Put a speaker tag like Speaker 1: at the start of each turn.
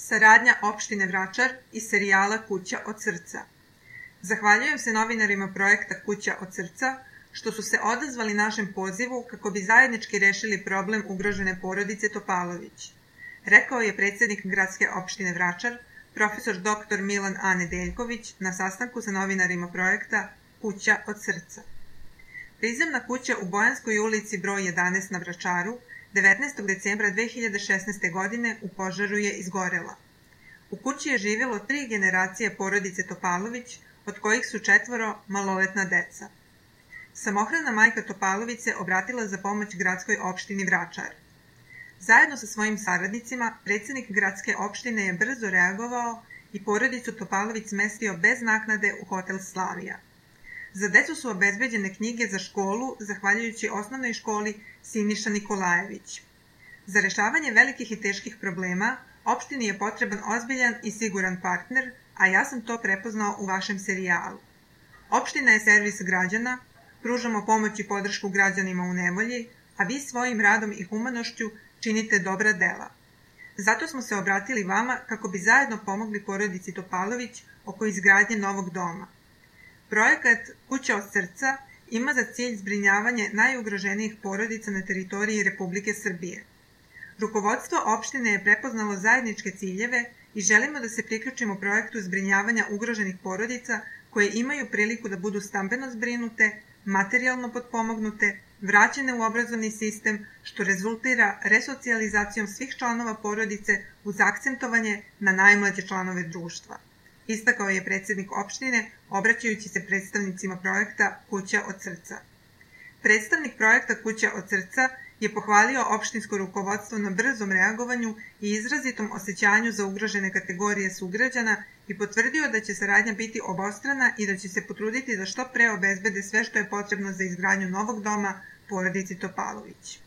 Speaker 1: Saradnja opštine Vračar i serijala Kuća od srca. Zahvaljujem se novinarima projekta Kuća od srca što su se odazvali našem pozivu kako bi zajednički rešili problem ugrožene porodice Topalović, rekao je predsjednik gradske opštine Vračar, profesor dr. Milan A. Nedeljković na sastanku sa novinarima projekta Kuća od srca. Prizemna kuća u Bojanskoj ulici broj 11 na Vračaru 19. decembra 2016. godine u požaru je izgorela. U kući je živjelo 3 generacije porodice Topalović, od kojih su 4 maloletna deca. Samohrana majka Topalović se obratila za pomoć gradskoj opštini Vračar. Zajedno sa svojim saradnicima, predsjednik gradske opštine je brzo reagovao i porodicu Topalović smestio bez naknade u hotel Slavija. Za decu su obezbeđene knjige za školu, zahvaljujući osnovnoj školi Siniša Nikolajević. Za rešavanje velikih i teških problema, opštini je potreban ozbiljan i siguran partner, a ja sam to prepoznao u vašem serijalu. Opština je servis građana, pružamo pomoć i podršku građanima u nevolji, a vi svojim radom i humanošću činite dobra dela. Zato smo se obratili vama kako bi zajedno pomogli porodici Topalović oko izgradnje novog doma. Projekat Kuća od srca ima za cilj zbrinjavanje najugroženijih porodica na teritoriji Republike Srbije. Rukovodstvo opštine je prepoznalo zajedničke ciljeve i želimo da se priključimo projektu zbrinjavanja ugroženih porodica koje imaju priliku da budu stambeno zbrinute, materijalno potpomognute, vraćene u obrazovni sistem, što rezultira resocijalizacijom svih članova porodice uz akcentovanje na najmlađe članove društva, istakao je predsjednik opštine, obraćajući se predstavnicima projekta Kuća od srca. Predstavnik projekta Kuća od srca je pohvalio opštinsko rukovodstvo na brzom reagovanju i izrazitom osjećanju za ugrožene kategorije sugrađana i potvrdio da će saradnja biti obostrana i da će se potruditi da što pre obezbede sve što je potrebno za izgradnju novog doma porodici Topalović.